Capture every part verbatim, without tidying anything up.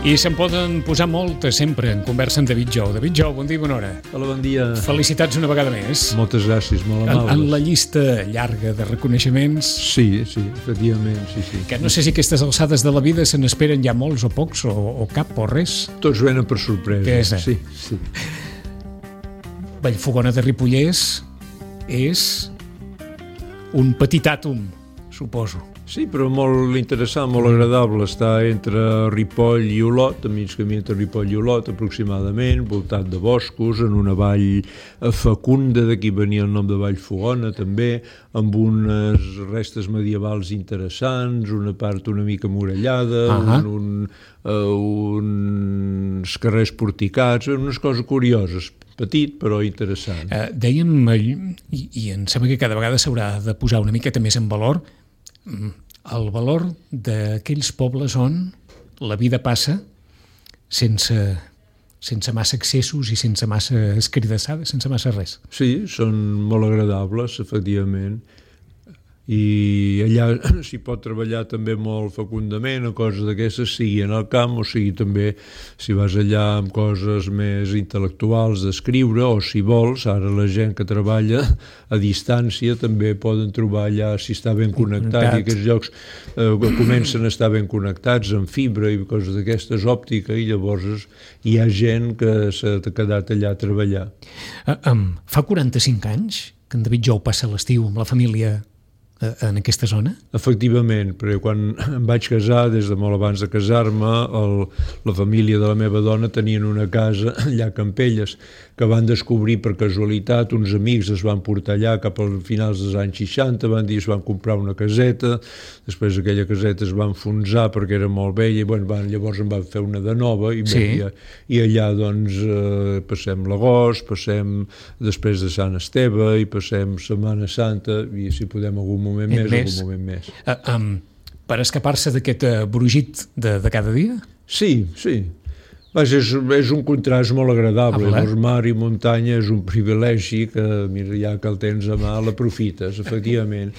I se'n poden posar moltes sempre en conversa amb David Jou. David Jou, bon dia i bona hora. Hola, bon dia. Felicitats una vegada més. Moltes gràcies, molt amables. En, en la llista llarga de reconeixements... Sí, sí, efectivament, sí, sí. Que no sé si aquestes alçades de la vida se n'esperen ja molts o pocs, o, o cap o res. Tots venen per sorpresa. Què és? Sí, sí. Vallfogona de Ripollès és un petit àtom, suposo. Sí, però molt interessant, molt agradable. Està entre Ripoll i Olot, a mig camí entre Ripoll i Olot, aproximadament, voltat de boscos, en una vall fecunda, d'aquí venia el nom de Vallfogona, també, amb unes restes medievals interessants, una part una mica murallada, uh-huh. un, un, uh, uns carrers porticats, unes coses curioses. Petit, però interessant. Uh, dèiem, i, i em sembla que cada vegada s'haurà de posar una miqueta més en valor, el valor d'aquells pobles on la vida passa sense, sense massa excessos i sense massa escridassades, sense massa res. Sí, són molt agradables, efectivament. I allà s'hi pot treballar també molt fecundament a coses d'aquestes, sigui en el camp o sigui també si vas allà amb coses més intel·lectuals d'escriure, o si vols, ara la gent que treballa a distància també poden trobar allà si està ben connectat, connectat. I aquests llocs eh, comencen a estar ben connectats amb fibra i coses d'aquestes, òptica, i llavors hi ha gent que s'ha quedat allà a treballar. Uh, um, fa quaranta-cinc anys que en David Jou passa l'estiu amb la família en aquesta zona? Efectivament, perquè quan em vaig casar, des de molt abans de casar-me, el, la família de la meva dona tenien una casa allà a Campelles, que van descobrir per casualitat, uns amics es van portar allà cap als finals dels anys seixanta, van dir es van comprar una caseta, després aquella caseta es va enfonsar perquè era molt vella, i bueno, van, llavors en van fer una de nova, i, sí. bé, i, i allà doncs eh, passem l'agost, passem després de Sant Esteve, i passem Setmana Santa, i si podem algun moment més, més. algun moment més. Uh, um, per escapar-se d'aquest uh, brugit de, de cada dia? Sí, sí. Vaja, és, és un contrast molt agradable. Llavors, mar i muntanya és un privilegi que, mira, ja que el tens a mà, l'aprofites, efectivament.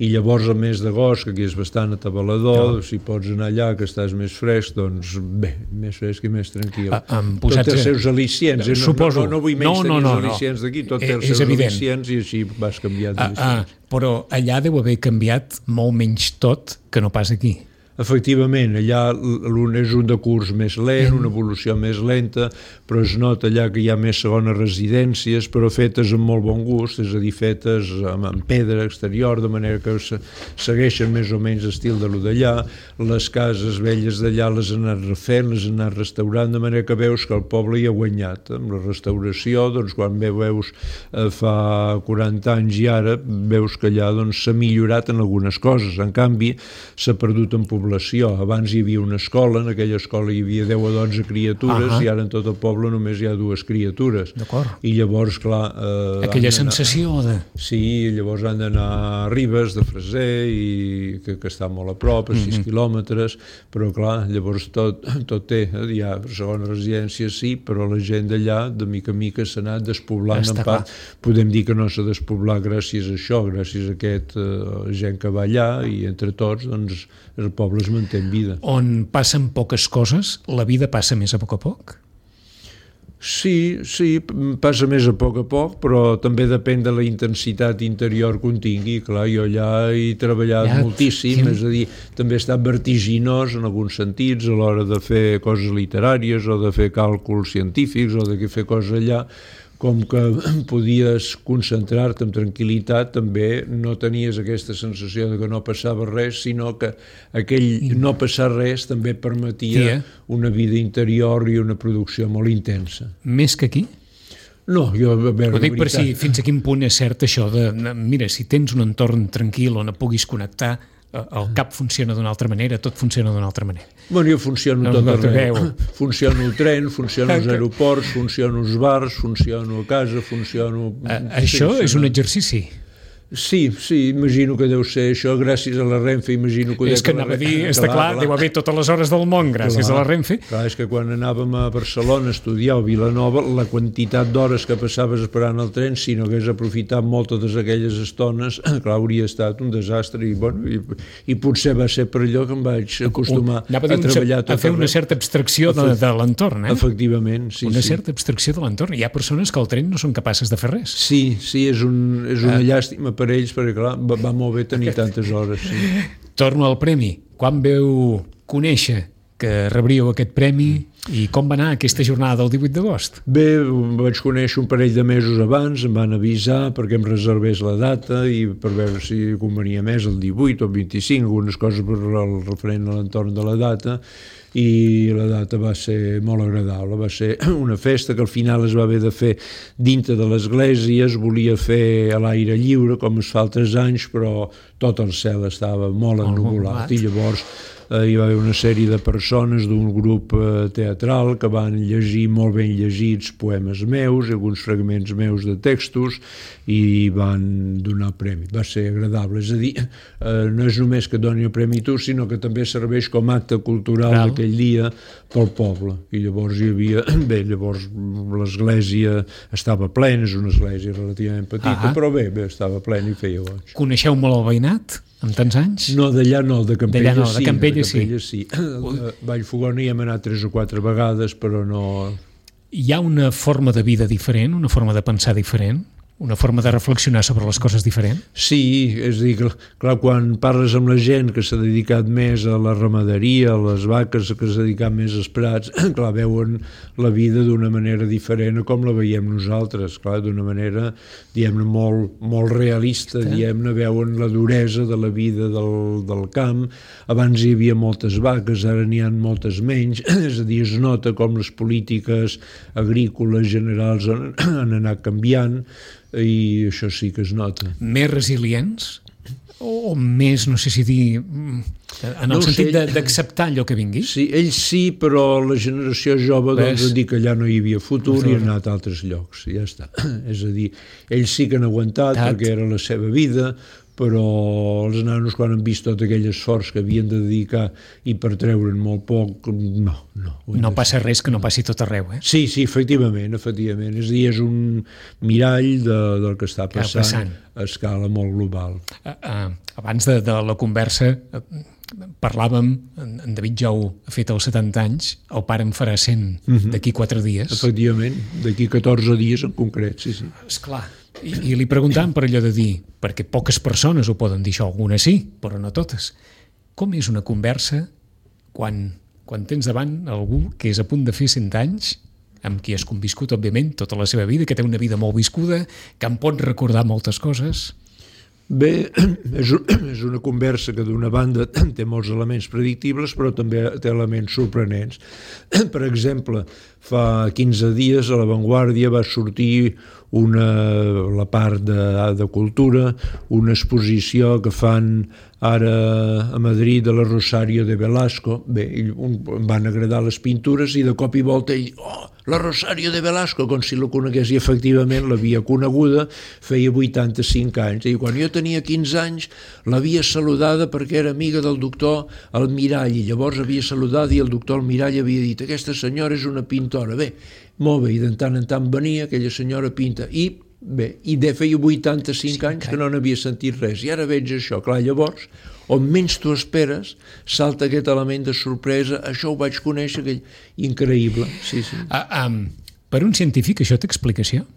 I llavors, el mes d'agost, que aquí és bastant atabalador, no. Si pots anar allà, que estàs més fresc, doncs bé, més fresc i més tranquil. Ah, tot té els seus al·licients. No, suposo. No, no, no vull menys no, tenir no, no, els al·licients d'aquí, tot té els seus al·licients i així vas canviant ah, ah, però allà deu haver canviat molt menys tot que no pas aquí. Efectivament, allà l'un és un de curs més lent, una evolució més lenta, però es nota allà que hi ha més segones residències, però fetes amb molt bon gust, és a dir, fetes amb, amb pedra exterior, de manera que se, segueixen més o menys l'estil de lo d'allà. Les cases velles d'allà les han anat refent, les han anat restaurant, de manera que veus que el poble hi ha guanyat. Amb la restauració, doncs, quan veus eh, fa quaranta anys i ara, veus que allà doncs, s'ha millorat en algunes coses. En canvi, s'ha perdut en població. Abans hi havia una escola, en aquella escola hi havia deu o dotze criatures, uh-huh. i ara en tot el poble només hi ha dues criatures. D'acord. I llavors, clar... Eh, aquella sensació de... Sí, llavors han d'anar a Ribes de Freser, i que, que està molt a prop, a sis uh-huh. quilòmetres, però clar, llavors tot, tot té, hi ha segona residència, sí, però la gent d'allà, de mica en mica, s'ha anat despoblant. En part, podem dir que no s'ha despoblat gràcies a això, gràcies a aquest eh, gent que va allà, i entre tots, doncs, el poble es manté en vida. On passen poques coses, la vida passa més a poc a poc? Sí, sí, passa més a poc a poc, però també depèn de la intensitat interior que un tingui. Clar, jo allà he treballat ja, moltíssim, sí. És a dir, també he estat vertiginós en alguns sentits a l'hora de fer coses literàries o de fer càlculs científics o de fer coses allà. Com que podies concentrar-te amb tranquil·litat, també no tenies aquesta sensació de que no passava res, sinó que aquell no passar res també permetia yeah. una vida interior i una producció molt intensa. Més que aquí? No, jo... A veure, ho dic per si fins a quin punt és cert això de, mira, si tens un entorn tranquil on et puguis connectar, el cap funciona d'una altra manera, tot funciona d'una altra manera. Bueno, jo funciono tot arreu. Funciono el tren, funciono els aeroports, funciono els bars, funciono a casa, funciono... A, això sí, és un exercici. Sí, sí, imagino que deu ser això, gràcies a la Renfe, imagino que... És que anava a dir, està clar, clar, deu haver totes les hores del món gràcies clar, a la Renfe. Clar, és que quan anàvem a Barcelona a estudiar o Vilanova, la quantitat d'hores que passaves esperant el tren, si no hagués aprofitat moltes d'aquelles estones, clar, hauria estat un desastre i, bueno, i, i potser va ser per allò que em vaig acostumar a, a treballar tot a fer una certa abstracció de, de l'entorn, eh? Efectivament, sí. Una sí. certa abstracció de l'entorn. Hi ha persones que al tren no són capaces de fer res. Sí, sí, és, un, és una ah. llàstima per ells, perquè clar, va, va molt bé tenir tantes hores. Sí. Torno al premi. Quan veu conèixer que rebríeu aquest premi i com va anar aquesta jornada del divuit d'agost? Bé, vaig conèixer un parell de mesos abans, em van avisar perquè em reservés la data i per veure si convenia més el divuit o el vint-i-cinc, algunes coses per el referent a l'entorn de la data, i la data va ser molt agradable, va ser una festa que al final es va haver de fer dintre de l'església, es volia fer a l'aire lliure com es fa altres anys, però tot el cel estava molt ennuvolat i llavors eh, hi va haver una sèrie de persones d'un grup eh, teatral que van llegir molt ben llegits poemes meus, alguns fragments meus de textos i van donar premi. Va ser agradable, és a dir, eh, no és només que doni el premi tu, sinó que també serveix com a acte cultural Cal. d'aquell dia pel poble. I llavors hi havia... Bé, llavors l'església estava plena, és una església relativament petita, ah però bé, bé, estava plena i feia goig. Coneixeu molt el veïnat, amb tants anys? No, d'allà no, de Campella, no, sí. De Campella, de Campella sí. sí. A Vallfogona hi hem anat tres o quatre vegades, però no... Hi ha una forma de vida diferent, una forma de pensar diferent? Una forma de reflexionar sobre les coses diferent? Sí, és a dir, clar, quan parles amb la gent que s'ha dedicat més a la ramaderia, a les vaques, que s'ha dedicat més als prats, clar, veuen la vida d'una manera diferent a com la veiem nosaltres, clar, d'una manera, diguem-ne, molt, molt realista, sí. diguem-ne, veuen la duresa de la vida del, del camp. Abans hi havia moltes vaques, ara n'hi ha moltes menys, és a dir, es nota com les polítiques agrícoles generals han, han anat canviant, i això sí que es nota. Més resilients? O més, no sé si dir, en el no sentit sé, d'acceptar allò que vingui? Sí, ells sí, però la generació jove doncs ha dit que allà no hi havia futur i han anat a altres llocs, i ja està. És a dir, ells sí que han aguantat Tat. perquè era la seva vida, però els nanos quan han vist tot aquell esforç que havien de dedicar i per treure'n molt poc, no, no. No passa res que no passi tot arreu, eh? Sí, sí, efectivament, efectivament. És a dir, és un mirall de, del que està passant, passant a escala molt global. Uh, uh, abans de, de la conversa uh, parlàvem, en David ja ho ha fet als setanta anys, el pare en farà cent uh-huh. d'aquí quatre dies. Efectivament, d'aquí catorze dies en concret, sí, sí. Esclar. I, i li preguntàvem per allò de dir, perquè poques persones ho poden dir això, algunes sí, però no totes. Com és una conversa quan, quan tens davant algú que és a punt de fer cent anys, amb qui has conviscut, òbviament, tota la seva vida, que té una vida molt viscuda, que em pot recordar moltes coses? Bé, és, és una conversa que d'una banda té molts elements predictibles, però també té elements sorprenents. Per exemple, fa quinze dies a La Vanguardia va sortir una, la part de, de cultura, una exposició que fan ara a Madrid de la Rosario de Velasco. Bé, em van agradar les pintures i de cop i volta ell, oh, la Rosario de Velasco, com si la conegués, i efectivament l'havia coneguda, feia vuitanta-cinc anys, i quan jo tenia quinze anys l'havia saludada perquè era amiga del doctor Almirall, i llavors havia saludat i el doctor Almirall havia dit, aquesta senyora és una pintora. Bé, molt bé, i de tant en tant venia aquella senyora pinta, i bé, i de feia vuitanta-cinc anys que no n'havia sentit res, i ara veig això, clar, llavors, on menys tu esperes, salta aquest element de sorpresa, això ho vaig conèixer, aquell increïble, sí, sí. Uh, um, per un científic això té explicació?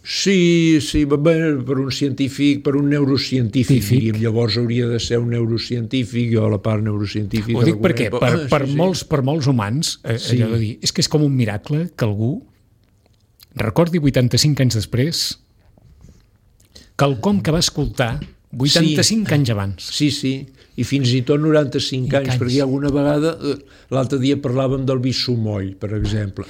Sí, sí, bé, per un científic, per un neurocientífic, diríem, llavors hauria de ser un neurocientífic, jo a la part neurocientífica... Ho dic perquè per, per, sí, molts, per molts humans, eh, sí. allò de dir, és que és com un miracle que algú recordi vuitanta-cinc anys després quelcom que va escoltar vuitanta-cinc sí. anys abans. Sí, sí, i fins i tot noranta-cinc I anys, anys, perquè alguna vegada, l'altre dia parlàvem del vi sumoll, per exemple,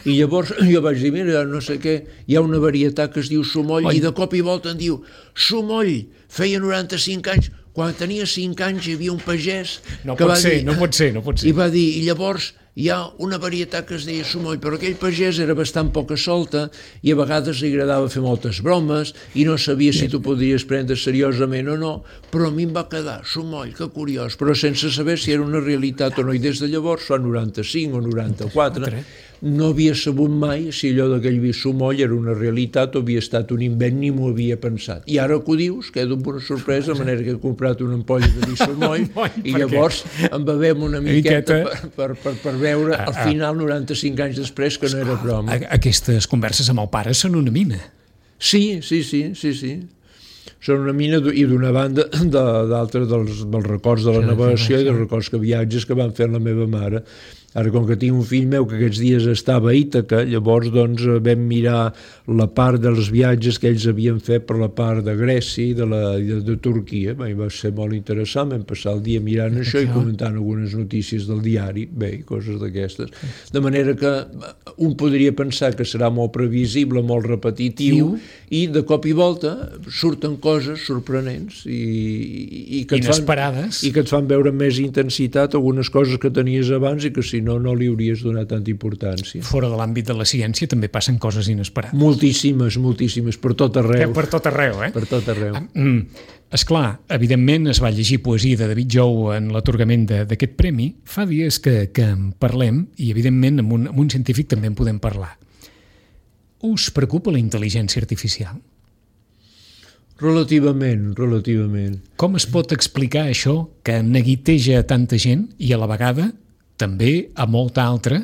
i llavors jo vaig dir, mira, no sé què, hi ha una varietat que es diu sumoll, Oi. i de cop i volta em diu, sumoll, feia noranta-cinc anys, quan tenia cinc anys hi havia un pagès no que pot va ser, dir... No pot ser, no pot ser. I va dir, i llavors... hi ha una varietat que es deia sumoll, però aquell pagès era bastant poca solta i a vegades li agradava fer moltes bromes i no sabia si tu podries prendre seriosament o no, però a mi em va quedar sumoll, que curiós, però sense saber si era una realitat o no, i des de llavors, fa noranta-cinc o noranta-quatre, no havia sabut mai si allò d'aquell vi sumoll era una realitat o havia estat un invent, ni m'ho havia pensat. I ara que ho dius, quedo amb una sorpresa, de manera que he comprat una ampolla de vi sumoll i llavors en bevem una miqueta per, per, per, per veure al final, noranta-cinc anys després, que no era broma. Aquestes converses amb el pare són una mina. Sí, sí, sí, sí, sí. Són una mina, i d'una banda d'altres dels, dels records de la navegació i dels records que viatges que van fer la meva mare. Ara, com que tinc un fill meu que aquests dies estava a Ítaca, llavors doncs vam mirar la part dels viatges que ells havien fet per la part de Grècia i de, la, de, de Turquia. Bé, va ser molt interessant, vam passar el dia mirant això i comentant algunes notícies del diari, bé, coses d'aquestes. De manera que un podria pensar que serà molt previsible, molt repetitiu, i de cop i volta surten coses sorprenents i, i, que, et fan, i que et fan veure amb més intensitat algunes coses que tenies abans i que si no, no li hauries donat tanta importància. Fora de l'àmbit de la ciència també passen coses inesperades. Moltíssimes, moltíssimes, per tot arreu. Eh, per tot arreu, eh? Per tot arreu. Mm. Esclar, evidentment es va llegir poesia de David Jou en l'atorgament d'aquest premi. Fa dies que, que en parlem i evidentment amb un, amb un científic també en podem parlar. Us preocupa la intel·ligència artificial? Relativament, relativament. Com es pot explicar això que neguiteja a tanta gent i a la vegada també a molta altra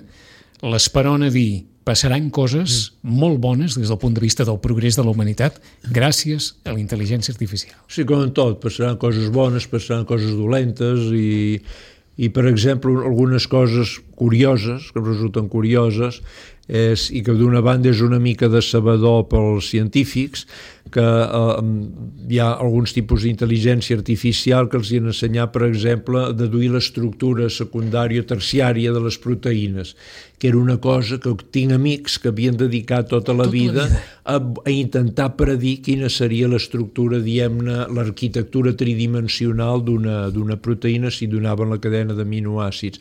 l'esperona dir passaran coses molt bones des del punt de vista del progrés de la humanitat gràcies a la intel·ligència artificial? Sí, com en tot, passaran coses bones, passaran coses dolentes i, i per exemple, algunes coses curioses, que resulten curioses, és, i que d'una banda és una mica decebedor pels científics, que eh, hi ha alguns tipus d'intel·ligència artificial que els hi han ensenyat, per exemple, a deduir l'estructura secundària o terciària de les proteïnes, que era una cosa que tinc amics que havien dedicat tota la, tota vida, la vida a, a intentar predir quina seria l'estructura, diguem-ne, l'arquitectura tridimensional d'una d'una proteïna si donaven la cadena d'aminoàcids.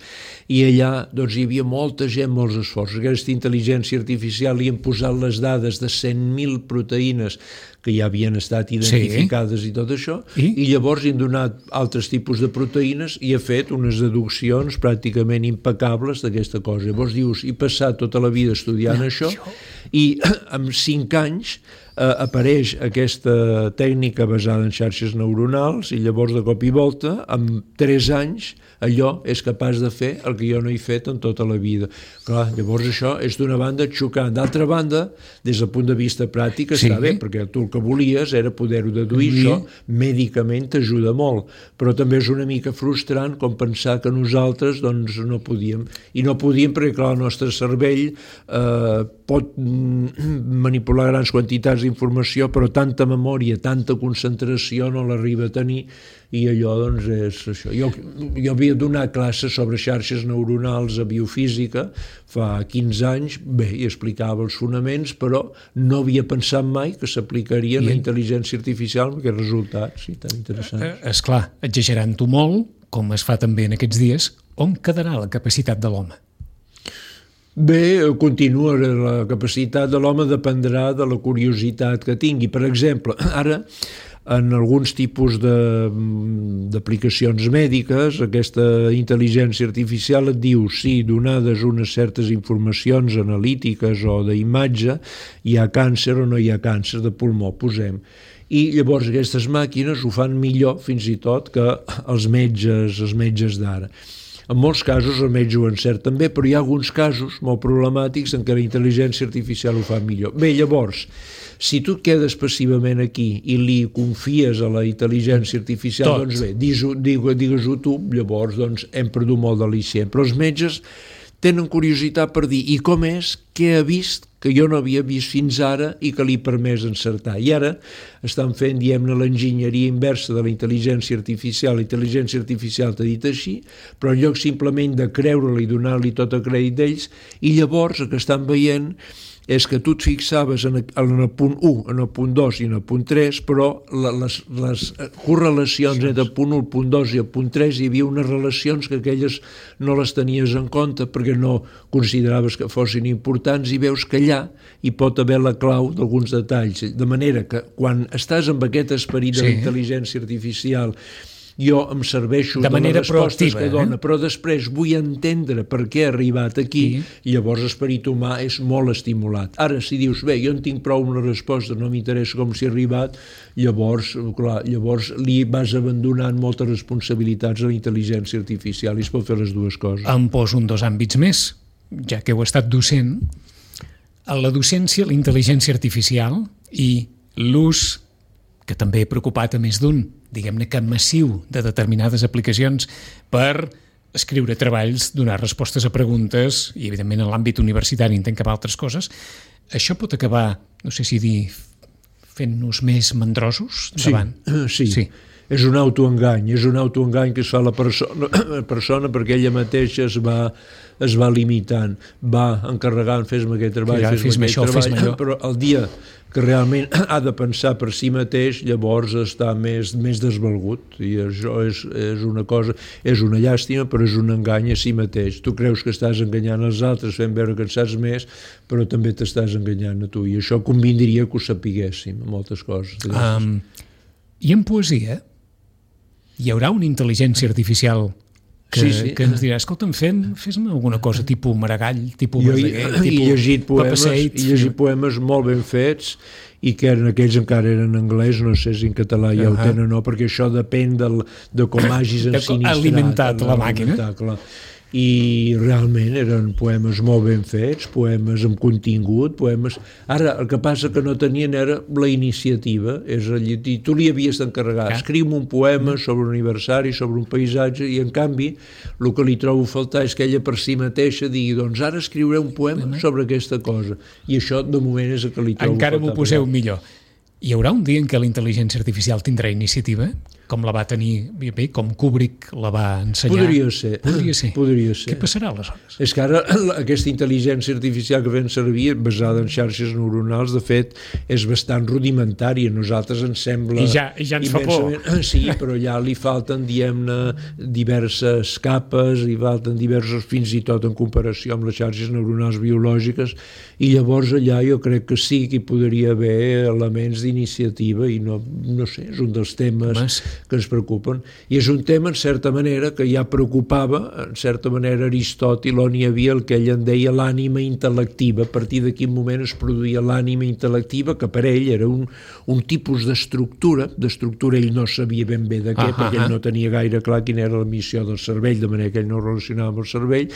I allà doncs, hi havia molta gent, molts esforços. Aquesta intel·ligència artificial li han posat les dades de cent mil proteïnes que ja havien estat identificades sí. I tot això, I? I llavors hi han donat altres tipus de proteïnes i ha fet unes deduccions pràcticament impecables d'aquesta cosa. Llavors dius, he passat tota la vida estudiant no, això, això i en cinc anys eh, apareix aquesta tècnica basada en xarxes neuronals i llavors de cop i volta, en tres anys, allò és capaç de fer el que jo no he fet en tota la vida. Clar, llavors això és d'una banda xocant. D'altra banda, des del punt de vista pràctic està sí. Bé, perquè tu el que volies era poder-ho deduir, sí. Això mèdicament t'ajuda molt, però també és una mica frustrant com pensar que nosaltres doncs, no podíem. I no podíem perquè, clar, el nostre cervell eh, pot manipular grans quantitats d'informació, però tanta memòria, tanta concentració no l'arriba a tenir i allò doncs és això. Jo, jo havia donat classes sobre xarxes neuronals a biofísica fa quinze anys, bé, i explicava els fonaments, però no havia pensat mai que s'aplicaria la intel·ligència artificial amb aquests resultats, sí, tan interessants. Esclar, exagerant-ho molt, com es fa també en aquests dies, on quedarà la capacitat de l'home? Bé, continua, la capacitat de l'home dependrà de la curiositat que tingui. Per exemple, ara, en alguns tipus d'aplicacions mèdiques, aquesta intel·ligència artificial et diu si donades unes certes informacions analítiques o d'imatge hi ha càncer o no hi ha càncer de pulmó, posem. I llavors aquestes màquines ho fan millor fins i tot que els metges, els metges d'ara. En molts casos el metge ho encert també, però hi ha alguns casos molt problemàtics en què la intel·ligència artificial ho fa millor. Bé, llavors, si tu et quedes passivament aquí i li confies a la intel·ligència artificial, tot. Doncs bé, digues-ho digues tu, llavors doncs, hem perdut molt d'al·licient. Però els metges tenen curiositat per dir i com és, què ha vist que jo no havia vist fins ara i que li ha permès encertar. I ara estan fent, diguem-ne, l'enginyeria inversa de la intel·ligència artificial. La intel·ligència artificial t'ha dit així, però en lloc simplement de creure-la i donar-li tot el crèdit d'ells, i llavors el que estan veient és que tu et fixaves en el, en el punt u, en el punt dos i en el punt tres, però les, les correlacions entre el punt u, el punt dos i el punt tres hi havia unes relacions que aquelles no les tenies en compte perquè no consideraves que fossin importants, i veus que allà hi pot haver la clau d'alguns detalls, de manera que quan estàs amb aquest esperit de sí. la intel·ligència artificial, jo em serveixo de, de les respostes que dona, eh? Però després vull entendre per què ha arribat aquí, sí. Llavors l'esperit humà és molt estimulat. Ara, si dius, bé, jo en tinc prou una resposta, no m'interessa com s'hi ha arribat, llavors, clar, llavors li vas abandonant moltes responsabilitats a la intel·ligència artificial i es pot fer les dues coses. Em poso un dos àmbits més, ja que heu estat docent. A la docència, la intel·ligència artificial i l'ús, que també he preocupat a més d'un, diguem-ne que massiu, de determinades aplicacions per escriure treballs, donar respostes a preguntes i, evidentment, en l'àmbit universitari intent cap a altres coses, això pot acabar, no sé si dir, fent-nos més mandrosos davant? Sí, sí. sí. És un autoengany, és un autoengany que es fa la persona, la persona perquè ella mateixa es va, es va limitant, va encarregant, fes-me aquest treball, ja, fes-me fes aquest això, treball, però el dia que realment ha de pensar per si mateix, llavors està més, més desvalgut, i això és, és una cosa, és una llàstima, però és un engany a si mateix. Tu creus que estàs enganyant els altres fent veure que en saps més, però també t'estàs enganyant a tu, i això convindria que ho sapiguéssim, moltes coses. Um, I en poesia hi haurà una intel·ligència artificial que, sí, sí. que ens dirà, escolta'm, fes-me alguna cosa tipus Maragall, tipus Verdaguer, tipus he llegit poemes, he llegit poemes molt ben fets i que eren, aquells encara eren en anglès, no sé si en català ja uh -huh. ho tenen o no, perquè això depèn del, de com hagis ensinistrat. Alimentat la màquina. Clar. I realment eren poemes molt ben fets, poemes amb contingut, poemes... Ara, el que passa que no tenien era la iniciativa, és a dir, tu li havies d'encarregar, escriu un poema sobre un aniversari, sobre un paisatge, i en canvi el que li trobo a faltar és que ella per si mateixa digui, doncs ara escriuré un poema sobre aquesta cosa, i això de moment és el que li trobo Encara a faltar. Encara m'ho poseu millor. Hi haurà un dia en què la intel·ligència artificial tindrà iniciativa? Com la va tenir, bé, com Kubrick la va ensenyar? Podria ser. Podria ser. Podria ser. Què passarà aleshores? És que ara aquesta intel·ligència artificial que fem servir, basada en xarxes neuronals, de fet, és bastant rudimentària. A nosaltres ens sembla... I ja, i ja ens fa por. Sí, però ja li falten, diguem-ne, diverses capes, i falten diversos, fins i tot en comparació amb les xarxes neuronals biològiques, i llavors allà jo crec que sí que hi podria haver elements d'iniciativa, i no, no sé, és un dels temes Mas... que ens preocupen, i és un tema en certa manera que ja preocupava en certa manera Aristòtil, on hi havia el que ell en deia l'ànima intel·lectiva. A partir de quin moment es produïa l'ànima intel·lectiva, que per ell era un, un tipus d'estructura, d'estructura ell no sabia ben bé de què, ah, perquè ah, ell no tenia gaire clar quina era la missió del cervell, de manera que ell no relacionava amb el cervell,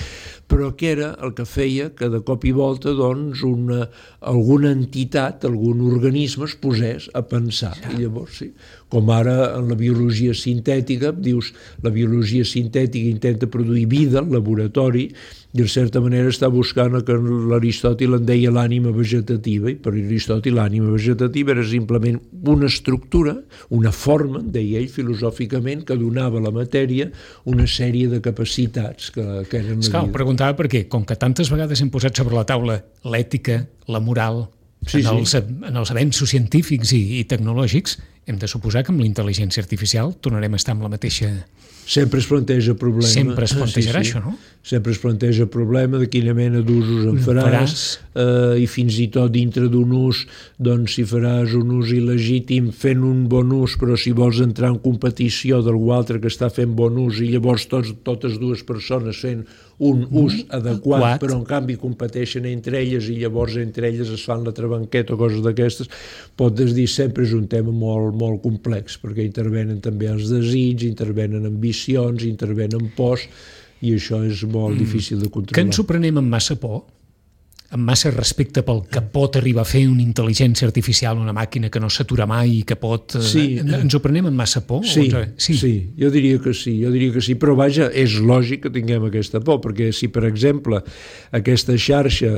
però que era el que feia que de cop i volta doncs una, alguna entitat, algun organisme es posés a pensar, i llavors sí, com ara en la biologia sintètica, dius, la biologia sintètica intenta produir vida al laboratori i en certa manera està buscant el que l'Aristòtil en deia l'ànima vegetativa, i per Aristòtil l'ànima vegetativa era simplement una estructura, una forma, deia ell filosòficament, que donava a la matèria una sèrie de capacitats que, que eren la vida. Ho preguntava perquè, com que tantes vegades hem posat sobre la taula l'ètica, la moral, sí, en, els, sí. en els avenços científics i, i tecnològics, hem de suposar que amb la intel·ligència artificial tornarem a estar amb la mateixa... Sempre es planteja el problema. Sempre es plantejarà sí, sí. això, no? Sempre es planteja el problema de quina mena d'usos en faràs, faràs. Eh, i fins i tot dintre d'un ús, doncs si faràs un ús il·legítim fent un bon ús, però si vols entrar en competició d'algú altre que està fent bon ús i llavors tots, totes dues persones fent un ús mm, adequat, adequat, però en canvi competeixen entre elles i llavors entre elles es fan la trabanqueta o coses d'aquestes, pots dir sempre és un tema molt, molt complex, perquè intervenen també els desigs, intervenen ambicions, intervenen pors, i això és molt mm. difícil de controlar. Que ens ho prenem amb massa por? Amb massa respecte pel que pot arribar a fer una intel·ligència artificial, una màquina que no s'atura mai i que pot... Sí. Ens ho prenem amb massa por? Sí, sí, sí, jo diria que sí, jo diria que sí, però vaja, és lògic que tinguem aquesta por, perquè si, per exemple, aquesta xarxa,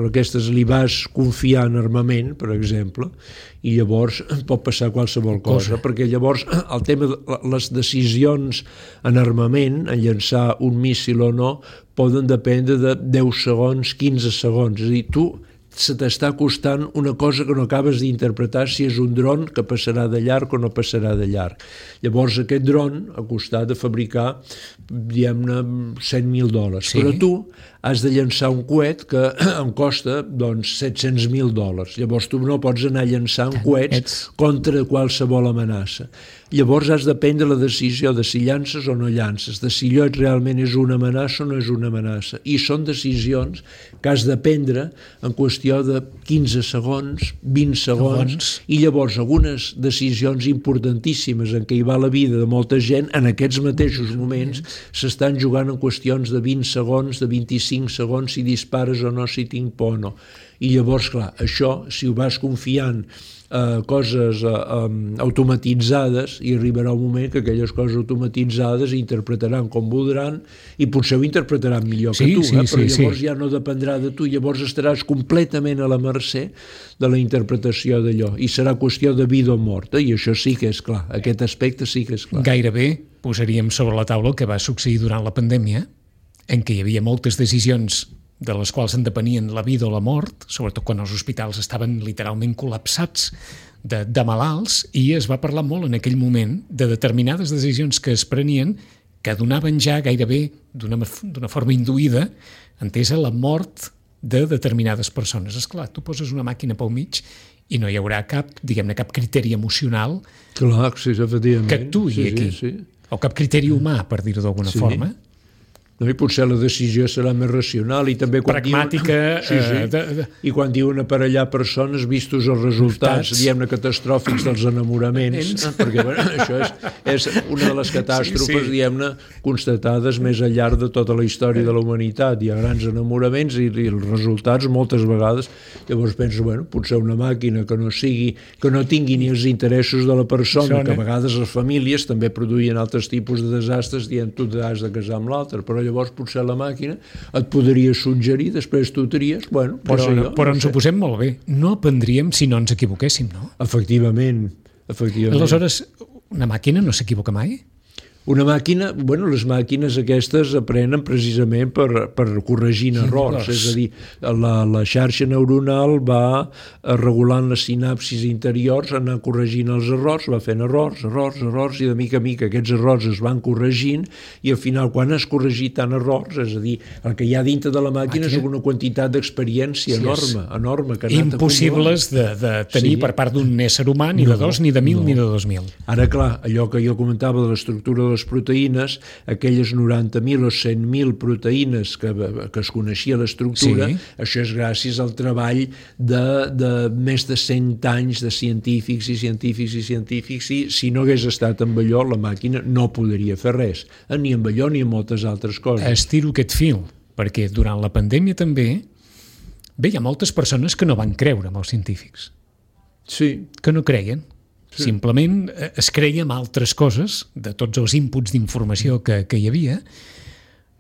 aquestes li vas confiar en armament, per exemple, i llavors pot passar qualsevol cosa, cosa, perquè llavors el tema de les decisions en armament, en llançar un míssil o no, poden dependre de deu segons, quinze segons, és a dir, tu se t'està costant una cosa que no acabes d'interpretar si és un dron que passarà de llarg o no passarà de llarg. Llavors aquest dron ha costat de fabricar, diguem-ne, cent mil dòlars, sí. Però tu has de llançar un coet que em costa doncs, set-cents mil dòlars. Llavors tu no pots anar llançant coets Ets... contra qualsevol amenaça. Llavors has de prendre la decisió de si llances o no llances, de si allò realment és una amenaça o no és una amenaça. I són decisions que has de prendre en qüestió de quinze segons, vint segons, segons. I llavors algunes decisions importantíssimes en què hi va la vida de molta gent, en aquests mateixos moments s'estan jugant en qüestions de vint segons, de vint-i-cinc segons, si dispares o no, si tinc por o no. I llavors, clar, això, si ho vas confiant a coses uh, um, automatitzades, i arribarà un moment que aquelles coses automatitzades interpretaran com voldran i potser ho interpretaran millor sí, que tu, sí, eh? Però sí, llavors sí. Ja no dependrà de tu, llavors estaràs completament a la mercè de la interpretació d'allò i serà qüestió de vida o mort, eh? I això sí que és clar, aquest aspecte sí que és clar. Gairebé posaríem sobre la taula el que va succeir durant la pandèmia, en què hi havia moltes decisions de les quals en depenien la vida o la mort, sobretot quan els hospitals estaven literalment col·lapsats de, de malalts, i es va parlar molt en aquell moment de determinades decisions que es prenien que donaven ja gairebé d'una d'una forma induïda, entesa, la mort de determinades persones. Esclar, tu poses una màquina pel mig i no hi haurà cap, diguem-ne, cap criteri emocional Clar, sí, efectivament. que actuï sí, aquí, sí, sí. O cap criteri humà, per dir-ho d'alguna sí. forma. No, i potser la decisió serà més racional i també quan pragmàtica diuen, sí, sí. Eh, de, de... i quan diuen aparellar persones vistos els resultats, diguem-ne, catastròfics dels enamoraments, eh, perquè bueno, això és, és una de les catàstrofes sí, sí. diguem-ne, constatades més al llarg de tota la història de la humanitat. Hi ha grans enamoraments i, i els resultats moltes vegades, llavors penso, bueno, potser una màquina que no sigui, que no tingui ni els interessos de la persona, que a vegades les famílies també produïen altres tipus de desastres, dient tu t'has de casar amb l'altre, però llavors potser la màquina et podria suggerir, després tu tries, bueno, però, jo, però no ens ho posem molt bé. No aprendríem si no ens equivoquéssim, no? Efectivament, efectivament. Aleshores, una màquina no s'equivoca mai? Una màquina, bueno, les màquines aquestes aprenen precisament per, per corregir errors, errors, és a dir, la, la xarxa neuronal va regulant les sinapsis interiors, anar corregint els errors, va fent errors, errors, errors, i de mica a mica aquests errors es van corregint, i al final, quan has corregit tant errors, és a dir, el que hi ha dintre de la màquina, màquina? és una quantitat d'experiència sí, enorme, enorme, que ha anat impossibles de, de tenir sí. per part d'un ésser humà, ni no, de dos, ni de mil, no. ni de dos mil. Ara, clar, allò que jo comentava de l'estructura de les proteïnes, aquelles noranta mil o cent mil proteïnes que, que es coneixia l'estructura, sí. això és gràcies al treball de, de més de cent anys de científics i científics i científics, i si no hagués estat amb allò, la màquina no podria fer res, ni amb allò ni amb moltes altres coses. Estiro aquest fil, perquè durant la pandèmia també bé, hi ha moltes persones que no van creure en els científics. Sí. Que no creien. Sí. Simplement es creia en altres coses, de tots els inputs d'informació que, que hi havia.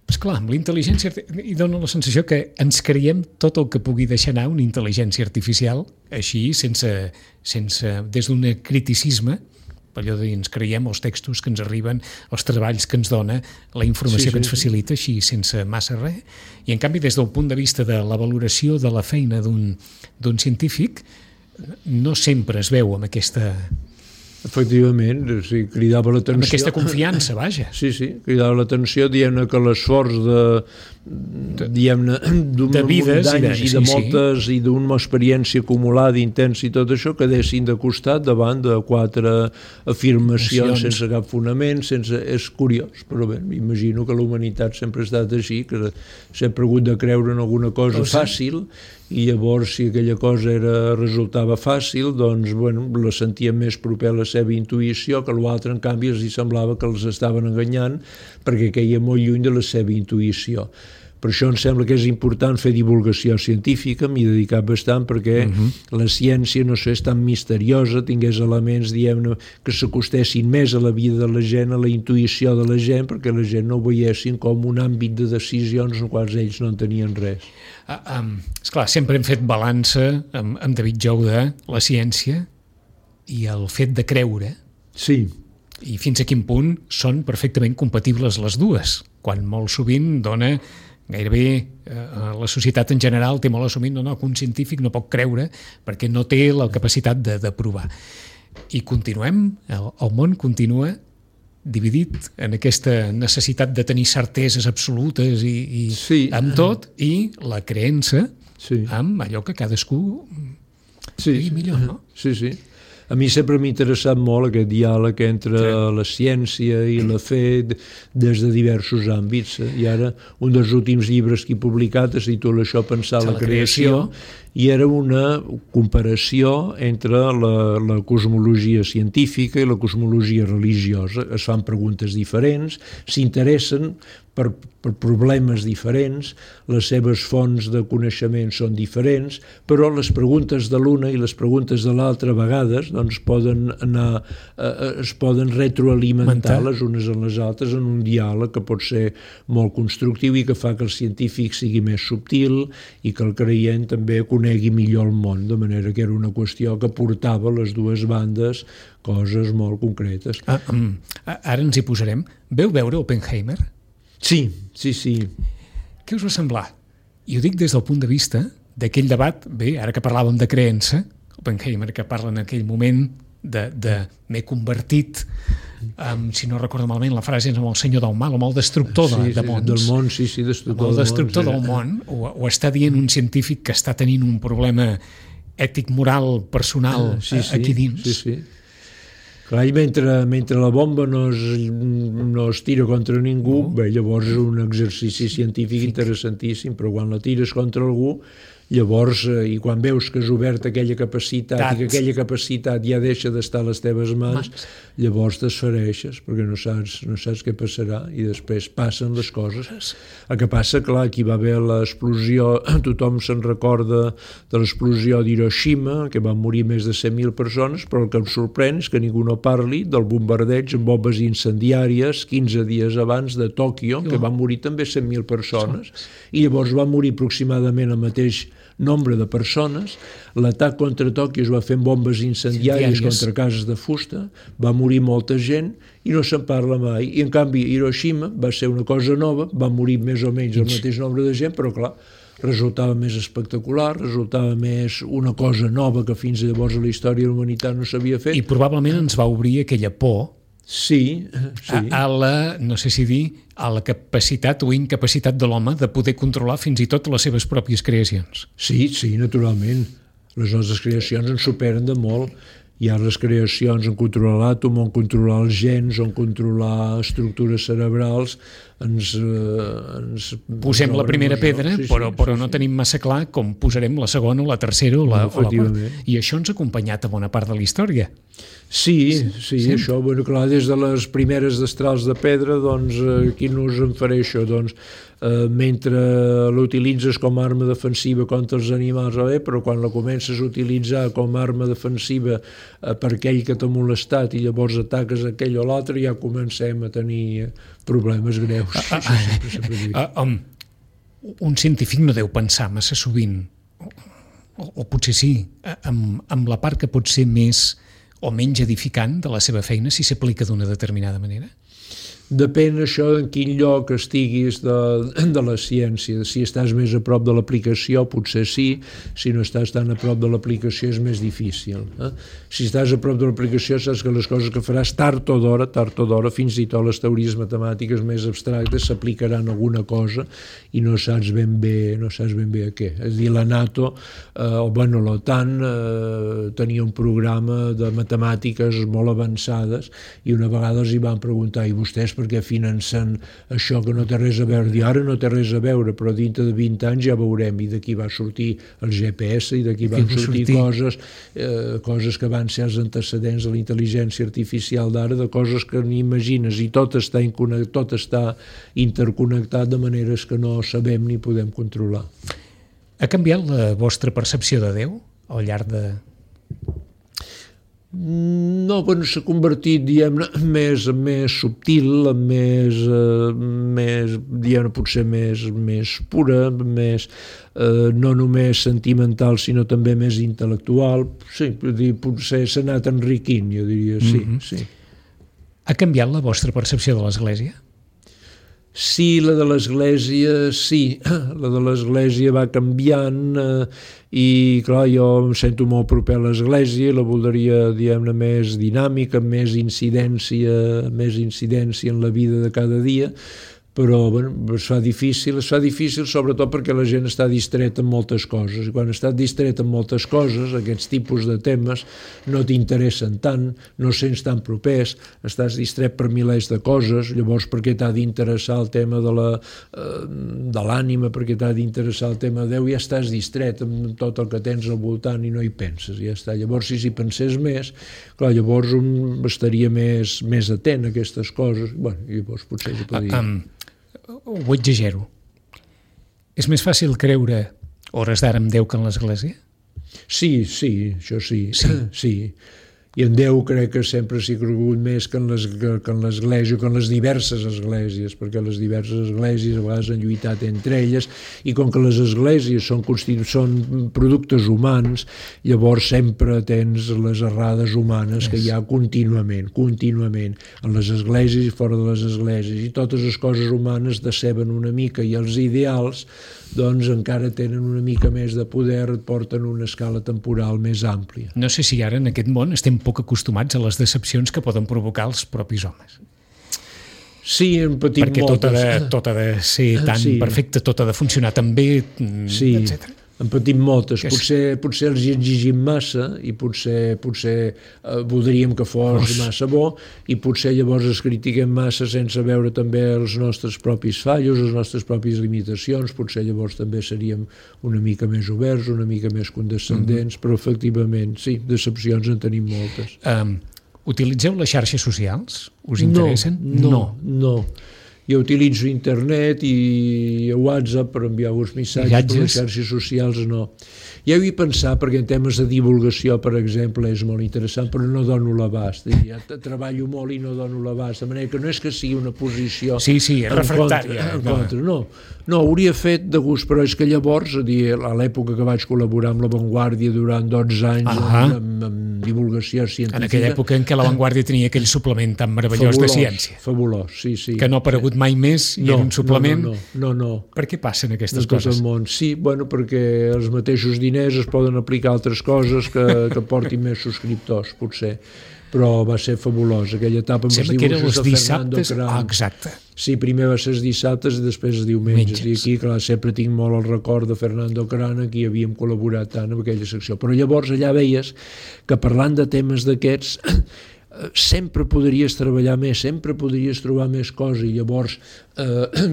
Pues clar, amb la intel·ligència i dona la sensació que ens creiem tot el que pugui deixar anar una intel·ligència artificial, així, sense, sense des d'un criticisme, allò de dir, ens creiem els textos que ens arriben, els treballs que ens dona, la informació sí, sí, que ens facilita, així, sense massa res. I en canvi, des del punt de vista de la valoració de la feina d'un d'un científic, no sempre es veu amb aquesta... Efectivament, o sigui, cridava l'atenció... Amb aquesta confiança, vaja. Sí, sí, cridava l'atenció, dient que l'esforç de, diguem-ne, d'un munt d'anys i de moltes, sí. i d'una experiència acumulada, intensa i tot això, quedessin de costat davant de quatre afirmacions sense cap fonament, sense... És curiós, però bé, imagino que la humanitat sempre ha estat així, que sempre ha hagut de creure en alguna cosa oh, sí. fàcil, i llavors si aquella cosa era, resultava fàcil, doncs bueno, la sentia més proper a la seva intuïció, que l'altre en canvi els hi semblava que els estaven enganyant perquè queia molt lluny de la seva intuïció. Per això em sembla que és important fer divulgació científica, m'hi he dedicat bastant perquè uh-huh. la ciència, no sé, és tan misteriosa, tingués elements, diguem-ne, que s'acostessin més a la vida de la gent, a la intuïció de la gent, perquè la gent no ho veiessin com un àmbit de decisions en quals ells no en tenien res. Uh, um, esclar, sempre hem fet balança amb, amb David Jou de la ciència i el fet de creure. Sí. I fins a quin punt són perfectament compatibles les dues, quan molt sovint dona gairebé eh, la societat en general té molt assumit, no, no, que un científic no pot creure perquè no té la capacitat de, de provar. I continuem, el, el món continua dividit en aquesta necessitat de tenir certeses absolutes i, i sí. amb tot, i la creença sí. amb allò que cadascú sí. digui millor, no? Sí, sí. A mi sempre m'ha interessat molt aquest diàleg entre sí. la ciència i la fe des de diversos àmbits. I ara un dels últims llibres que he publicat es titula Això pensar la, la creació, creació i era una comparació entre la, la cosmologia científica i la cosmologia religiosa. Es fan preguntes diferents, s'interessen per, per problemes diferents, les seves fonts de coneixement són diferents, però les preguntes de l'una i les preguntes de l'altra a vegades doncs, poden anar, eh, es poden retroalimentar les unes en les altres en un diàleg que pot ser molt constructiu i que fa que el científic sigui més subtil i que el creient també conegui millor el món, de manera que era una qüestió que portava les dues bandes coses molt concretes. Ah, um, ara ens hi posarem. Veu veure Oppenheimer? Sí, sí, sí. Què us va semblar? I ho dic des del punt de vista d'aquell debat, bé, ara que parlàvem de creença, Oppenheimer que parla en aquell moment de, de m'he convertit, um, si no recordo malament, la frase és amb el senyor del mal, amb el destructor de, sí, de mons. Del món, sí, sí, destructor, amb el destructor del món, sí. del món, ho, ho està dient un científic que està tenint un problema ètic, moral, personal sí, sí, aquí dins. Sí, sí. Clar, mentre, mentre la bomba no es, no es tira contra ningú, no. bé, llavors és un exercici científic interessantíssim, però quan la tires contra algú, llavors, eh, i quan veus que has obert aquella capacitat Tat. i que aquella capacitat ja deixa d'estar a les teves mans, mans. llavors t'esfereixes, perquè no saps, no saps què passarà, i després passen les coses. El que passa, clar, aquí va haver l'explosió, tothom se'n recorda de l'explosió d'Hiroshima, que van morir més de cent mil persones, però el que em sorprèn és que ningú no parli del bombardeig amb bombes incendiàries quinze dies abans de Tòquio, que van morir també cent mil persones, i llavors va morir aproximadament el mateix nombre de persones. L'atac contra Tòquio es va fer amb bombes incendiàries contra cases de fusta, va morir molta gent i no se'n parla mai. I en canvi Hiroshima va ser una cosa nova, va morir més o menys el mateix nombre de gent, però clar, resultava més espectacular, resultava més una cosa nova que fins llavors a la història de la humanitat no s'havia fet. I probablement ens va obrir aquella por Sí, sí. A, a la, no sé si dir, a la capacitat o incapacitat de l'home de poder controlar fins i tot les seves pròpies creacions. Sí, sí, naturalment. Les nostres creacions ens superen de molt. Hi ha les creacions en controlar l'àtom, en controlar els gens, en controlar estructures cerebrals. Ens, eh, ens Posem la primera pedra, sí, però, sí, però sí, no sí. tenim massa clar com posarem la segona o la tercera o la, no, o la quarta. I això ens ha acompanyat a bona part de la història. Sí, sí, sí, això, bueno, clar, des de les primeres destrals de pedra, doncs, eh, quin ús en faré això? Doncs, eh, mentre l'utilitzes com a arma defensiva contra els animals, eh, però quan la comences a utilitzar com a arma defensiva eh, per aquell que t'ha molestat i llavors ataques aquell o l'altre, ja comencem a tenir problemes greus. Ah, ah, sempre, sempre ah, um, un científic no deu pensar massa sovint, o, o, o potser sí, amb, amb la part que pot ser més o menys edificant de la seva feina si s'aplica d'una determinada manera? Depèn això en quin lloc estiguis de, de la ciència. Si estàs més a prop de l'aplicació, potser sí. Si no estàs tan a prop de l'aplicació és més difícil. Eh? Si estàs a prop de l'aplicació saps que les coses que faràs tard o d'hora, tard o d'hora, fins i tot les teories matemàtiques més abstractes s'aplicaran a alguna cosa i no saps ben bé, no saps ben bé a què. És a dir, la NATO, eh, o bueno, l'OTAN eh, tenia un programa de matemàtiques molt avançades i una vegada els hi van preguntar, i vostès perquè financen això que no té res a veure. I ara no té res a veure, però dintre de vint anys ja veurem, i d'aquí va sortir el G P S, i d'aquí van sortir, sortir coses, eh, coses que van ser els antecedents de la intel·ligència artificial d'ara, de coses que ni imagines, i tot està, tot està interconnectat de maneres que no sabem ni podem controlar. Ha canviat la vostra percepció de Déu al llarg de... No, bueno, s'ha convertit, diguem-ne, més, més subtil, més, eh, més diguem-ne, potser més, més pura, més, eh, no només sentimental, sinó també més intel·lectual. Sí, dir, potser s'ha anat enriquint, jo diria, sí, mm-hmm. sí. Ha canviat la vostra percepció de l'Església? Sí, la de l'Església, sí. La de l'Església va canviant eh, i, clar, jo em sento molt proper a l'Església, la voldria, diguem-ne, més dinàmica, amb més incidència, més incidència en la vida de cada dia, però bueno, es fa difícil, es fa difícil sobretot perquè la gent està distreta en moltes coses, i quan estàs distret en moltes coses, aquests tipus de temes no t'interessen tant, no sents tan propers, estàs distret per milers de coses, llavors per què t'ha d'interessar el tema de la, eh, de l'ànima, per què t'ha d'interessar el tema de Déu, ja estàs distret amb tot el que tens al voltant i no hi penses, ja està. Llavors si s'hi pensés més, clar, llavors un estaria més, més atent a aquestes coses, bueno, llavors potser hi podria... Um, ho exagero. És més fàcil creure hores d'ara en Déu que en l'Església? Sí, sí, això sí. Sí. Sí. I en Déu crec que sempre s'hi ha cregut més que en l'Església, que en les diverses esglésies, perquè les diverses esglésies a vegades han lluitat entre elles, i com que les esglésies són, són productes humans, llavors sempre tens les errades humanes que hi ha contínuament, contínuament, en les esglésies i fora de les esglésies, i totes les coses humanes deceben una mica, i els ideals doncs encara tenen una mica més de poder, et porten una escala temporal més àmplia. No sé si ara en aquest món estem poc acostumats a les decepcions que poden provocar els propis homes. Sí, en patim perquè moltes. Perquè tot, tot ha de ser tan sí. perfecte, tot ha de funcionar tan bé, sí. etcètera. En patim moltes, que potser, potser els exigim massa i potser, potser eh, voldríem que fos Uf. massa bo i potser llavors es critiquem massa sense veure també els nostres propis fallos, les nostres pròpies limitacions, potser llavors també seríem una mica més oberts, una mica més condescendents, mm-hmm. però efectivament, sí, decepcions en tenim moltes. Um, utilitzeu les xarxes socials? Us interessen? No, no, no. Jo utilitzo internet i WhatsApp per enviar uns missatges, Viatges. per les xarxes socials no. Ja ho he pensat, perquè en temes de divulgació, per exemple, és molt interessant, però no dono l'abast. Ja treballo molt i no dono l'abast, de manera que no és que sigui una posició... Sí, sí, és refractària. En contra, no. No, hauria fet de gust, però és que llavors, a dir, a l'època que vaig col·laborar amb La Vanguardia durant dotze anys, uh-huh. amb, amb divulgació científica... En aquella època en què La Vanguardia tenia aquell suplement tan meravellós fabulós, de ciència. Fabulós, sí, sí. Que no ha aparegut mai més i no, era un suplement... No, no, no, no. Per què passen aquestes no coses? Món. Sí, bueno, perquè els mateixos diners es poden aplicar a altres coses que, que portin més subscriptors, potser. Però va ser fabulós, aquella etapa amb Sembla els dibuixos de Fernando Cram. Ah, exacte. Sí, primer va ser els dissabtes i després els diumenges. Menges. I aquí, clar, sempre tinc molt el record de Fernando Cram, aquí havíem col·laborat tant en aquella secció. Però llavors allà veies que parlant de temes d'aquests sempre podries treballar més, sempre podries trobar més coses, i llavors eh,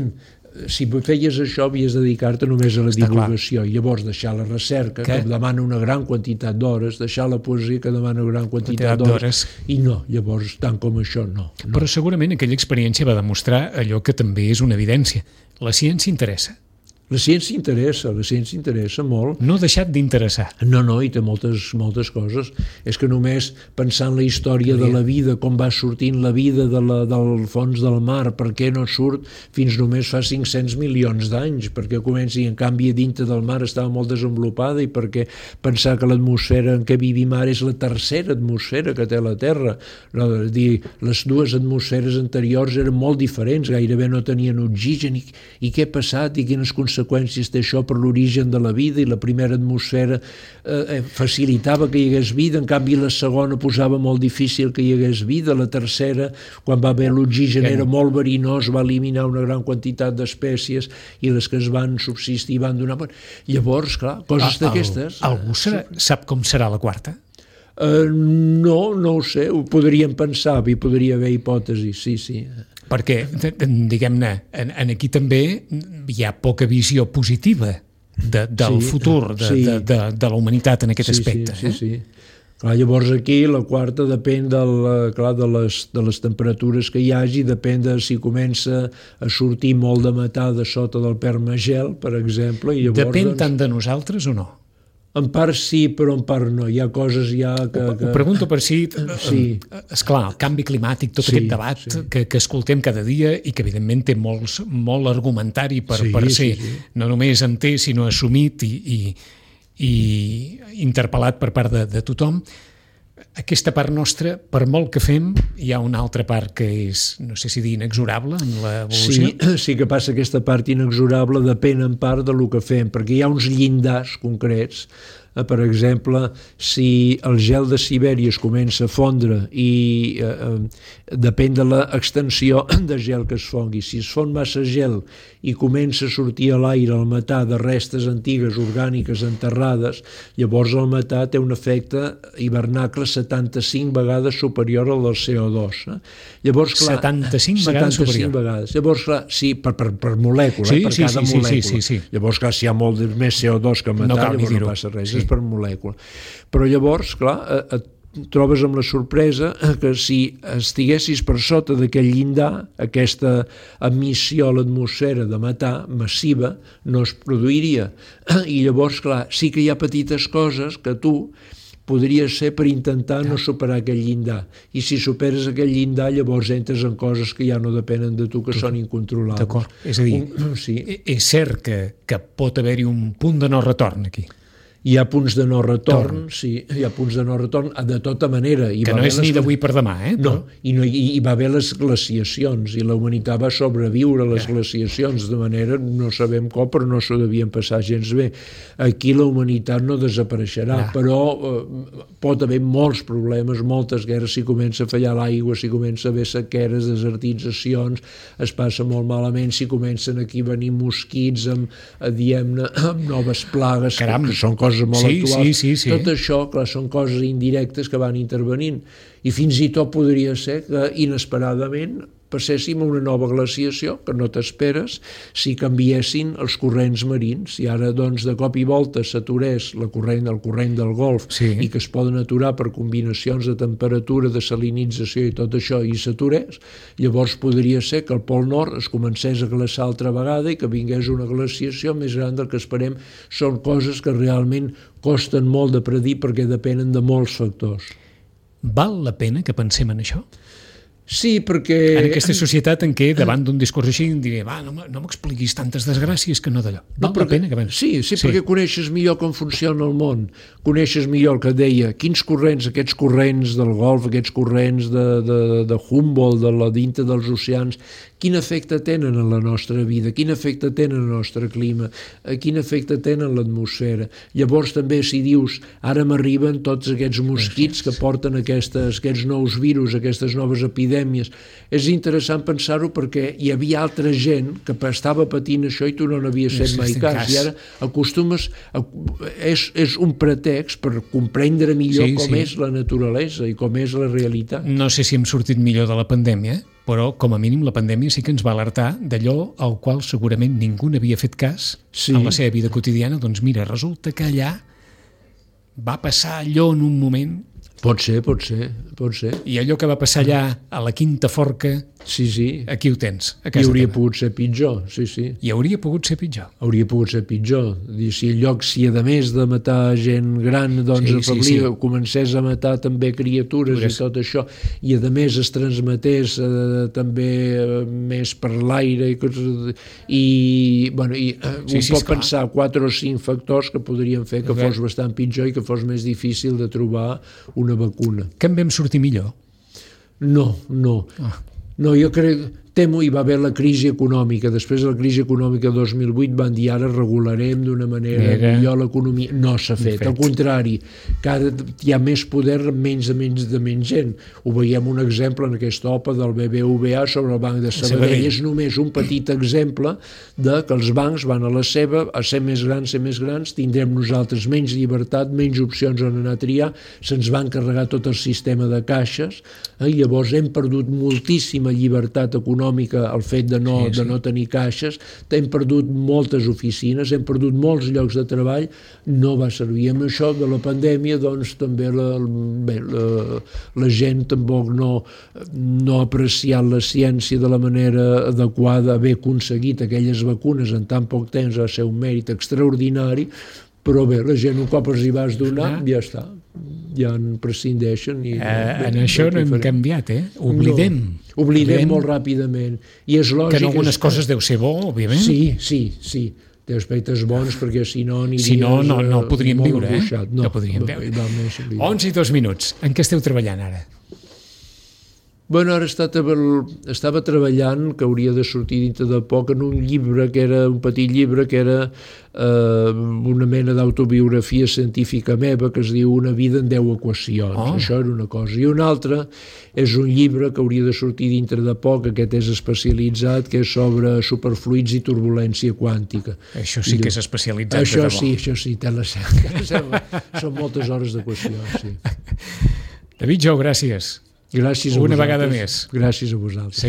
si feies això havies de dedicar-te només a la Està divulgació clar. I llavors deixar la recerca, que, que demana una gran quantitat d'hores, deixar la poesia, que demana una gran quantitat d'hores, i no, llavors tant com això no, no. Però segurament aquella experiència va demostrar allò que també és una evidència. La ciència interessa. La ciència interessa, la ciència interessa molt. No ha deixat d'interessar. No, no, i té moltes, moltes coses. És que només pensar en la història de la vida, com va sortint la vida de la, del fons del mar, per què no surt fins només fa cinc-cents milions d'anys, perquè comenci, en canvi, a dintre del mar estava molt desenvolupada, i perquè pensar que l'atmosfera en què vivim ara és la tercera atmosfera que té la Terra. No, és dir, les dues atmosferes anteriors eren molt diferents, gairebé no tenien oxigen, i, i què ha passat, i quines conseqüències conseqüències té això per l'origen de la vida, i la primera atmosfera eh, facilitava que hi hagués vida, en canvi la segona posava molt difícil que hi hagués vida, la tercera, quan va haver l'oxigen era molt verinós, va eliminar una gran quantitat d'espècies, i les que es van subsistir van donar... Llavors, clar, coses ah, d'aquestes... Algú serà, sap com serà la quarta? Uh, no, no ho sé, ho podríem pensar, hi podria haver hipòtesis, sí, sí. Perquè, diguem-ne, en, en aquí també hi ha poca visió positiva de, del sí, futur de, sí. de, de, de la humanitat en aquest sí, aspecte. Sí, eh? sí, sí. Clar, llavors aquí la quarta depèn del, clar, de, les, de les temperatures que hi hagi, depèn de si comença a sortir molt de metà de sota del permagel, per exemple. I llavors, depèn doncs, tant de nosaltres o no? En part sí, però en part no. Hi ha coses ja que... Ho, ho pregunto per si... Sí. Esclar, el canvi climàtic, tot sí, aquest debat sí. que, que escoltem cada dia i que evidentment té molts, molt argumentari per, sí, per ser sí, sí. no només entès, sinó assumit i, i, i interpel·lat per part de, de tothom. aquesta part nostra, per molt que fem, hi ha una altra part que és, no sé si dir, inexorable en l'evolució. Sí, sí que passa aquesta part inexorable, depèn en part del que fem, perquè hi ha uns llindars concrets. Per exemple, si el gel de Sibèria es comença a fondre i eh, eh, depèn de l'extensió de gel que es fongui. Si es fon massa gel i comença a sortir a l'aire el metà de restes antigues orgàniques enterrades, llavors el metà té un efecte hivernacle setanta-cinc vegades superior al del C O dos. Eh? Llavors, clar, setanta-cinc vegades superior. Vegades. Llavors, clar, sí, per, per, per molècula, sí, eh? per sí, cada sí, molècula. Sí, sí, sí. Llavors, clar, si hi ha molt més C O dos que metà, no cal llavors no passa res. Sí. Per molècula. Però llavors, clar, et trobes amb la sorpresa que si estiguessis per sota d'aquell llindar, aquesta emissió a l'atmosfera de metà massiva no es produiria. I llavors, clar, sí que hi ha petites coses que tu podries ser per intentar no superar aquell llindar. I si superes aquell llindar, llavors entres en coses que ja no depenen de tu, que són incontrolables. D'acord. És a dir, un, sí. és cert que, que pot haver-hi un punt de no retorn aquí. Hi ha punts de no retorn, Torn. sí, hi ha punts de no retorn de tota manera. Hi que va no és les... ni d'avui per demà, eh? No, i, no, i, i va haver les glaciacions, i la humanitat va sobreviure a les ja. glaciacions, de manera, no sabem com, però no s'ho devien passar gens bé. Aquí la humanitat no desapareixerà, ja. però eh, pot haver molts problemes, moltes guerres, si comença a fallar l'aigua, si comença a haver sequeres, desertitzacions, es passa molt malament, si comencen aquí a venir mosquits amb, diguem-ne, amb noves plagues, Caram. que són coses molt sí, actuals. Sí, sí, sí. Tot això, clar, són coses indirectes que van intervenint. I fins i tot podria ser que inesperadament passéssim a una nova glaciació que no t'esperes si canviessin els corrents marins. Si ara, doncs, de cop i volta s'aturés la corrent, el corrent del Golf sí. i que es poden aturar per combinacions de temperatura, de salinització i tot això, i s'aturés, llavors podria ser que el Pol Nord es comencés a glaçar altra vegada i que vingués una glaciació més gran del que esperem. Són coses que realment costen molt de predir perquè depenen de molts factors. Val la pena que pensem en això? Sí, perquè... En aquesta societat en què, davant d'un discurs així, em diré, va, no m'expliquis tantes desgràcies que no d'allò. Val no, perquè, la pena que pensi. Sí, sí, sí, perquè coneixes millor com funciona el món. Coneixes millor el que deia, quins corrents, aquests corrents del Golf, aquests corrents de, de, de Humboldt, de la dintre dels oceans, quin efecte tenen en la nostra vida, quin efecte tenen en el nostre clima, quin efecte tenen en l'atmosfera. Llavors també si dius, ara m'arriben tots aquests mosquits que porten aquestes, aquests nous virus, aquestes noves epidèmies. És interessant pensar-ho perquè hi havia altra gent que estava patint això i tu no n'havies fet mai cas. I ara acostumes, a, és, és un pretext per comprendre millor sí, com sí. és la naturalesa i com és la realitat. No sé si hem sortit millor de la pandèmia, però com a mínim la pandèmia sí que ens va alertar d'allò al qual segurament ningú n'havia fet cas sí. en la seva vida quotidiana. Doncs mira, resulta que allà va passar allò en un moment. Pot ser, pot ser, pot ser. I allò que va passar allà a la Quinta Forca, sí, sí. aquí ho tens, a casa I hauria teva. pogut ser pitjor, sí, sí. I hauria pogut ser pitjor. Hauria pogut ser pitjor. Si en lloc, si a més de matar gent gran, doncs sí, afablia, sí, sí. comencés a matar també criatures Podries. i tot això, i a més es transmetés eh, també eh, més per l'aire i, i, bueno, i eh, sí, un sí, pot pensar quatre o cinc factors que podrien fer que fos bastant pitjor i que fos més difícil de trobar una vacuna. Que en vam sortir millor? No, no. Ah. No, jo crec... Temo hi va haver la crisi econòmica. Després de la crisi econòmica de dos mil vuit van dir ara regularem d'una manera Era... millor l'economia. No s'ha fet. fet. Al contrari, cada, hi ha més poder, menys de menys de menys gent. Ho veiem un exemple en aquesta O P A del B B V A sobre el Banc de Sabadell. És només un petit exemple de que els bancs van a la seva, a ser més grans, ser més grans, tindrem nosaltres menys llibertat, menys opcions on anar a triar, se'ns va encarregar tot el sistema de caixes, eh? I llavors hem perdut moltíssima llibertat econòmica el fet de no, sí, sí. de no tenir caixes, hem perdut moltes oficines, hem perdut molts llocs de treball, no va servir. Amb això de la pandèmia, doncs també la, bé, la, la gent tampoc no, no ha apreciat la ciència de la manera adequada, haver aconseguit aquelles vacunes en tan poc temps va ser un mèrit extraordinari, però bé, la gent un cop els hi vas donar, ja està, ja en prescindeixen. I, eh, bé, en això no hem canviat, eh? Oblidem. No. Oblidem molt ràpidament. I és lògic... Que en algunes coses deu ser bo, òbviament. Sí, sí, sí. té aspectes bons, perquè si no aniries... Si no, no, no podríem molt viure, angoixat. eh? No, no podríem va, viure. Va més, onze i dos minuts. En què esteu treballant ara? Bueno, ara està, estava treballant, que hauria de sortir dintre de poc, en un llibre, que era un petit llibre, que era eh, una mena d'autobiografia científica meva, que es diu Una vida en deu equacions. Oh. Això era una cosa. I una altra és un llibre que hauria de sortir dintre de poc, aquest és especialitzat, que és sobre superfluids i turbulència quàntica. Això sí que és especialitzat. Això sí, això sí, té la cerca. Són moltes hores d'equacions, sí. David Jou, gràcies. Gràcies a Una vosaltres. vegada més. Gràcies a vosaltres.